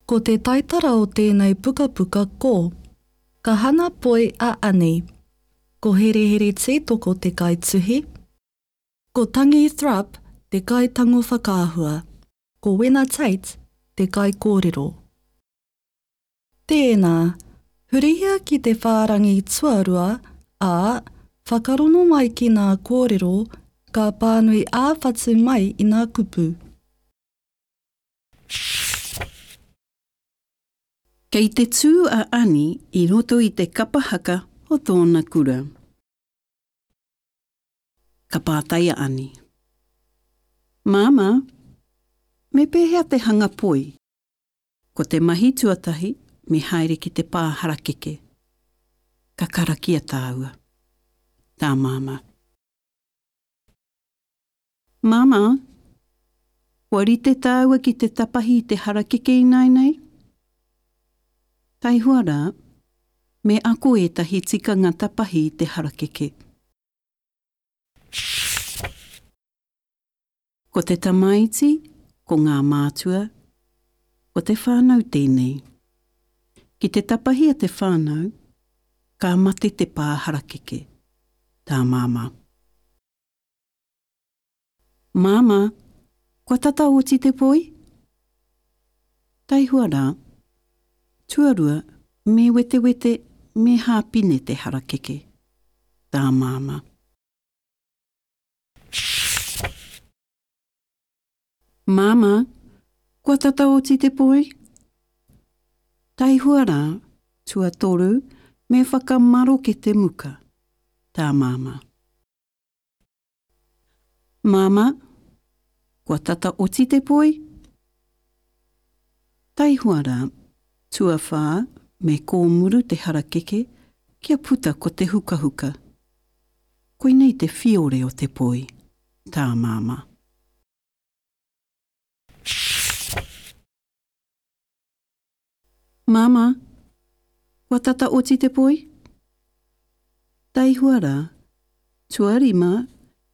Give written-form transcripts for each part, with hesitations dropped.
Ko te taitara o tēnei pukapuka ko, Ka hana poi a Ani. Ko Herehere Tītoko te kaituhi. Ko Tangi Thrupp te kaitango whakaahua. Ko Wena Tate te kaikōrero. Tēnā, hurihia ki te whārangi tuarua, ā, whakarongo mai ki ngā kōrero, ka pānui ā-whatu mai i ngā kupu. Kei te tū a Ani i roto i te kapa haka o tōna kura. Ka pātai a Ani. Māmā, me pēhea te hanga poi? Ko te mahi tuatahi me haere ki te pā harakeke. Ka karakia tāua. Tā Māmā. Māmā, kua rite tāua ki te tapahi i te harakeke ināianei? Taihoa rā, me ako ētahi tikanga tapahi i te harakeke. Ko te tamaiti, ko ngā mātua, ko te whānau tēnei. Ki te tapahia te whānau, ka mate te pā harakeke. Tā Māmā. Māmā, kua tata oti te poi? Taihoa rā. Tuarua, me wetewete, me hāpine te harakeke. Tā Māmā. Māmā, kua tata oti te poi? Taihoa rā, tuatoru, me whakamaroke te muka. Tā Māmā. Māmā, kua tata oti te poi? Taihoa rā, tuawhā me kōmuru te harakeke kia puta ko te hukahuka. Koinei te whiore o te poi, tā Māmā. Māmā, kua tata oti te poi? Taihoa rā, tuarima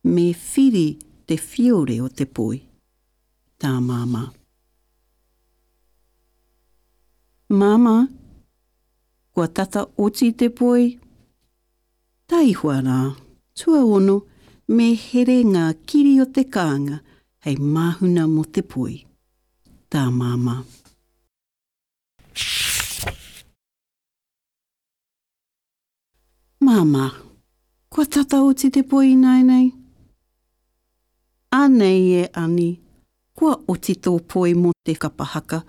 me whiri te whiore o te poi, tā Māmā. Māmā, kua tata oti te poi? Taihoa rā, tuaono me here ngā kiri o te kānga hei māhuna mō te poi, tā Māmā. Māmā, kua tata oti te poi ināianei? Anei e Ani, kua oti tō poi mō te kapa haka.